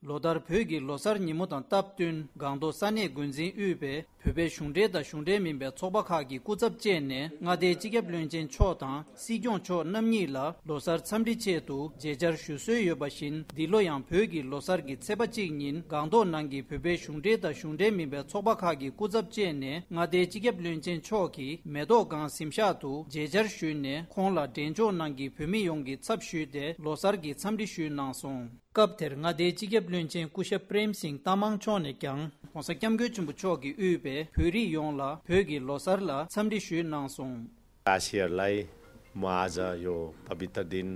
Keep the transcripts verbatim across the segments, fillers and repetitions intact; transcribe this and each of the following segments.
ལོ་ལྟར་བོད་ཀྱི་ལོ་གསར་ཉིན་མོ་དང་སྟབས་བསྟུན་སྒང་ཏོག་ས་གནས་འགོ་འཛིན་དབུས་པའི་བོད་པའི་གཞུང་འབྲེལ་དང་གཞུང་འབྲེལ་མིན་པའི་ཚོགས་པ་ཁག་གི་སྐུ་ཚབ་བཅས་ནས་མངའ་སྡེའི་སྤྱི་ཁྱབ་བློན་ཆེན་མཆོག་དང་སྲིད་སྐྱོང་མཆོག་རྣམ་གཉིས་ལ་ལོ་གསར་འཚམས་འདྲི་ཆེད་དུ་མཇལ་བཅར་ཞུ་སྲོལ་ཡོད་པ་བཞིན། འདི་ལོ་ཡང་བོད་ཀྱི་ལོ་གསར་གྱི་ཚེས་པ་གཅིག་ཉིན་སྒང་ཏོག་ནང་གི་བོད་པའི་གཞུང་འབྲེལ་དང་གཞུང་འབྲེལ་མིན་པའི་ཚོགས་པ་ཁག་གི་སྐུ་ཚབ་བཅས་ནས་མངའ་སྡེའི་སྤྱི་ཁྱབ་བློན་ཆེན་མཆོག་གིས་མེ་ཏོག་སྒང་གཟིམ་ཤག་ཏུ་མཇལ་བཅར་ཞུས་ནས་ཁོང་ལ་འབྲས་ལྗོངས་ནང་གི་བོད་མི་ཡོངས་ཀྱི་ཚབ་ཞུས་ཏེ་ལོ་གསར་གྱི་འཚམས་འདྲི་ཞུས་གནང་སོང་། སྐབས་དེར་མངའ་སྡེའི་སྤྱི་ཁྱབ་བློན་ཆེན་སྐུ་ཞབས་པྲེམ་སིང་ཏ་མང་མཆོག་ནས་ཀྱང་༸གོང་ས་༸སྐྱབས་མགོན་ཆེན་པོ་མཆོག་གིས་དབུས་པའི་བོད་རིགས་ཡོངས་ལ་བོད་ཀྱི་ལོ་གསར་ལ་འཚམས་འདྲི་ཞུས་གནང་སོང་། देशवासीहरूलाई म आज यो पवित्र दिन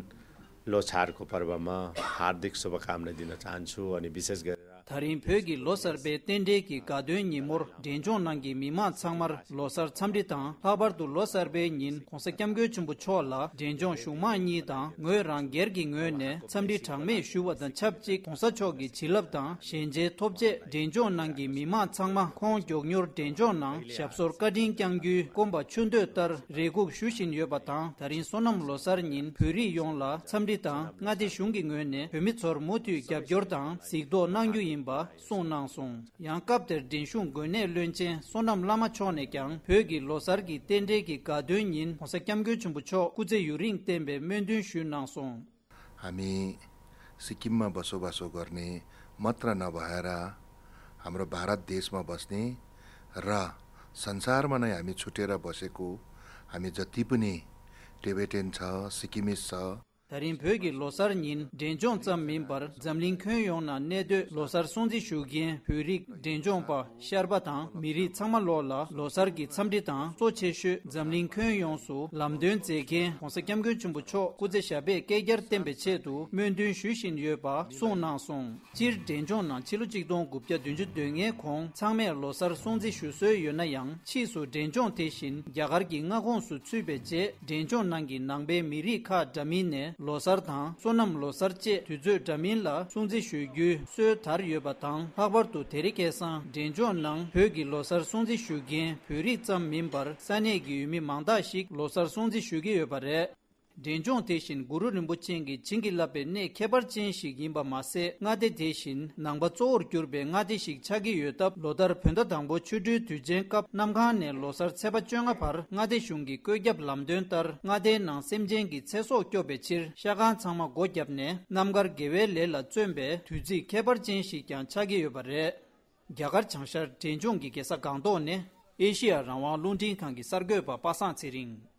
लोछारको पर्वमा हार्दिक शुभकामना दिन चाहन्छु। अनि विशेष गरेर ད་རིང་བོད་ཀྱི་ལོ་གསར་པའི་རྟེན་འབྲེལ་གྱི་དགའ་སྟོན་ཉིན་མོར་འབྲས་ལྗོངས་ནང་གི་མི་མང་ཚང་མར་ལོ་གསར་འཚམས་འདྲི་དང་། ལྷག་པར་དུ་ལོ་གསར་པའི་ཉིན་༸གོང་ས་༸སྐྱབས་མགོན་ཆེན་པོ་མཆོག་ལ་འབྲས་ལྗོངས་གཞུང་མང་གཉིས་དང་ངོས་རང་སྒེར་གྱི་ངོས་ནས་འཚམས་འདྲི་གྲངས་མེད་ཞུ་བ་དང་ཆབས་ཅིག ༸གོང་ས་མཆོག་གི་བྱིན་རླབས་དང་ཞལ་མཇལ་ཐོབ་རྗེས་འབྲས་ལྗོངས་ནང་གི་མི་མང་ཚང་མ་ཁོང་མགྱོགས་མྱུར་འབྲས་ལྗོངས་ནང་ཞབས་སོར་བཀའ་དྲིན་བསྐྱང་རྒྱུའི་སྐོམ་པ་ཆུ་འདོད་ལྟར་རེ་སྒུག་ཞུ་བཞིན་ཡོད་པ་དང་། ད་རིང་སོ་ནམ་ལོ་གསར་ཉིན་བོད་རིགས་ཡོངས་ལ་འཚམས་འདྲི་དང་མངའ་སྡེ་གཞུང་གི་ངོས་ནས་བོད་མི་ཚོར་མུ་མཐུད་རྒྱབ་སྐྱོར་དང་གཟིགས་རྟོག་གནང་རྒྱུ་ཡིན་པ་གསུངས་གནང་སོང་། ཡང་སྐབས་དེར་འབྲིང་གཞུང་དགོན་གནས་བློན་ཆེན་བསོད་ནམས་བླ་མ་མཆོག་ནས་ཀྱང་བོད་ཀྱི་ལོ་གསར་གྱི་རྟེན་འབྲེལ་གྱི་དགའ་སྟོན་ཉིན་༸གོང་ས་༸སྐྱབས་མགོན་ཆེན་པོ་མཆོག་སྐུ་ཚེ་ཡུན་རིང་བརྟན་པའི་སྨོན་འདུན་ཞུས་གནང་སོང་། हामी सिक्किममा बसोबासो गर्ने मात्र नभएर हाम्रो भारत देशमा बस्ने र संसारमा नै हामी छुटेर बसेको हामी जति पनि टिबेटन छ, सिक्किमिज छ, ད་རིང་བོད་ཀྱི་ལོ་གསར་ཉིན་འབྲས་ལྗོངས་ཙམ་མིན་པར་འཛམ་གླིང་ཁྱོན་ཡོངས་ནང་གནས་སྡོད་ལོ་གསར་སྲུང་བརྩི་ཞུ་མཁན་བོད་རིགས་འབྲས་ལྗོངས་པ་ཤར་པ་དང་མི་རིགས་ཚང་མ་ལོག་ལ་ལོ་གསར་གྱི་འཚམས་འདྲི་དང་གཙོ་ཆེ་ཤོས་འཛམ་གླིང་ཁྱོན་ཡོངས་སུ་ལམ་སྟོན་མཛད་མཁན་༸གོང་ས་༸སྐྱབས་མགོན་ཆེན་པོ་མཆོག་སྐུ་ཚེ་ཞབས་པད་བསྐལ་བརྒྱར་བརྟན་པའི་ཆེད་དུ་སྨོན་འདུན་ཞུ་བཞིན་ཡོད་པ་གསུངས་གནང་སོང་། སྤྱིར་འབྲས་ལྗོངས་ནང་ཕྱི་ལོ་ཆིག་སྟོང་དགུ་བརྒྱ་བདུན་ཅུ་དོན་ལྔའི་གོང་ཚང་མས་ལོ་གསར་སྲུང་བརྩི་ཞུ་སྲོལ་ཡོད་ན་ཡང་ཕྱིས་སུ་འབྲས་ལྗོངས་དེ་བཞིན་རྒྱ་གར་གྱི་མངའ་ཁོངས་སུ་ཚུད་པའི་རྗེས་འབྲས་ལྗོངས་ནང་གི་ནང་པའི་མི་རིགས་ཁག་འདྲ་མིན་ནས་ལོ་གསར་དང་སོ་ནམ་ལོ་གསར་བཅས་དུས་ཚོད་འདྲ་མིན་ལ་སྲུང་བརྩི་ཞུ་རྒྱུའི་སྲོལ་དར་ཡོད་པ་དང་། ལྷག་པར་དུ་དེ་རིང་ཁ་སང་འབྲས་ལྗོངས་ནང་བོད་ཀྱི་ལོ་གསར་སྲུང་བརྩི་ཞུ་མཁན་བོད་རིགས་ཙམ་མིན་པར་ས་གནས་ཀྱི་ཡུལ་མི་མང་དག་ཞིག་ལོ་གསར་སྲུང་བརྩི་ཞུ་གི་ཡོད་པ་རེད། འབྲས་ལྗོངས་དེ་བཞིན་གུ་རུ་རིན་པོ་ཆེ་གིས་བྱིན་གྱིས་བརླབས་པའི་གནས་ཁྱད་པར་ཅན་ཞིག་ཡིན་པ་མ་ཟད། མངའ་སྡེ་དེ་བཞིན་ནང་པ་གཙོ་བོར་གྱུར་པའི་མངའ་སྡེ་ཞིག་ཆགས་ཀྱི་ཡོད་སྟབས། ལོ་ལྟར་བོད་ཟླ་དང་པོ་ཆོ་འཕྲུལ་དུས་ཆེན་སྐབས་གནམ་གང་ནས་ལོ་གསར་ཚེས་པ་བཅོ་ལྔ་བར་མངའ་སྡེ་གཞུང་གི་བཀོད་ཁྱབ་ལམ་སྟོན་ལྟར་མངའ་སྡེའི་ནང་སེམས་ཅན་གྱི་ཚེ་སྲོག་སྐྱོབ་པའི་ཕྱིར་ཤ་ཁང་ཚང་མ་སྒོ་བརྒྱབ་ནས་རྣམ་དཀར་དགེ་བའི་ལས་ལ་བརྩོན་པའི་དུས་ཚིགས་ཁྱད་པར་ཅན་ཞིག་ཀྱང་ཆགས་ཀྱི་ཡོད་པ་རེད། རྒྱ་གར་བྱང་ཤར་འབྲས་ལྗོངས་ཀྱི་རྒྱལ་ས་སྒང་ཏོག་ནས་ཨེ་ཤི་ཡ་རང་དབང་རླུང་འཕྲིན་ཁང་གི་གསར་འགོད་པ་པ་སངས་ཚེ་རིང་།